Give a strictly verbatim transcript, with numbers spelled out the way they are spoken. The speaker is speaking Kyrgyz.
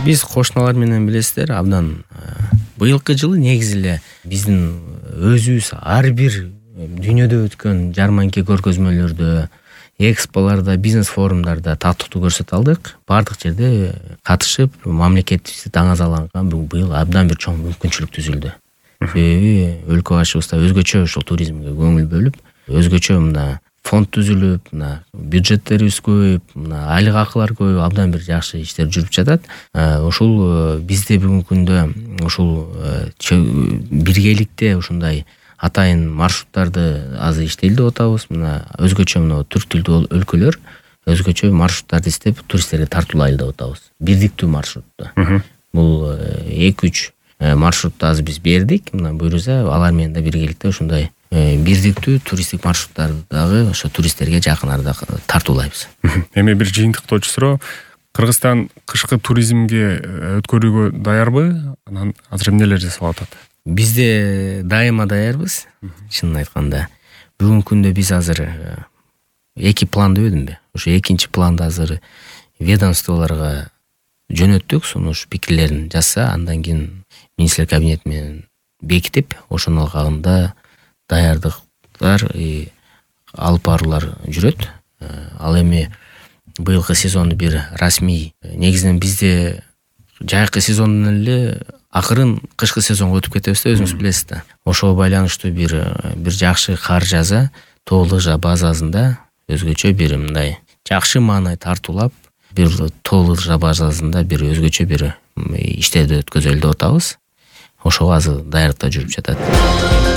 Биз кошуналар менен билесиздер, абдан быйылкы жылы негизи эле биздин өзүбүз ар бир дүйнөдө өткөн жарманки көргөзмөлөрдө, эксполордо, бизнес форумдарда таттыктуу көрсөтө алдык. Бардык жерде катышып, мамлекетибизди даңазаланган быйыл абдан бир чоң мүмкүнчүлүк түзүлдү. Себеби өлкө башыбызда өзгөчө ушул туризмге көңүл бөлүп, өзгөчө мына фонд түзүлүп, мына бюджеттерибиз көбөйүп, мына айлык акылар көбөйүп, абдан бир жакшы иштер жүрүп жатат. Ушул бизде бүгүнкү күндө ушул биргеликте ушундай атайын маршруттарды азыр иштейли деп атабыз. Мына өзгөчө мына түрк тилдүү өлкөлөр өзгөчө маршруттарды издеп туристтерди тартуулайлы деп атабыз. Бирдиктүү маршрутту. Бул эки үч маршрутту азыр биз бердик. Мына буюрса алар менен да биргеликте ушундай бирдиктүү туристтик маршруттарды дагы ошо туристтерге жакын арада тартуулайбыз. Эми бир жыйынтыктоочу суроо. Кыргызстан кышкы туризмге өткөрүүгө даярбы? Анан азыр эмнелер жасалып атат? Бизде дайыма даярбыз. Чынын айтканда, бүгүнкү күндө биз азыр эки план дебедимби? Ошо экинчи планды азыр ведомстволорго жөнөттүк. Сону ушу пикирлерин жазса, андан кийин министрлер кабинети менен бекитип, ошонун алкагында даярдыктар алып баруулар жүрөт. Ал эми быйылкы сезонду бир расмий, негизинен бизде жайкы сезондон эле акырын кышкы сезонго өтүп кетебиз да, өзүңүз билесиз да. Ошого байланыштуу бир бир жакшы кар жаза тоолык базасында өзгөчө бир мындай жакшы маанай тартуулап, бир тоолык базасында бир өзгөчө бир иштерди өткөзөлү деп атабыз. Ошого азыр даярдыктар жүрүп жатат.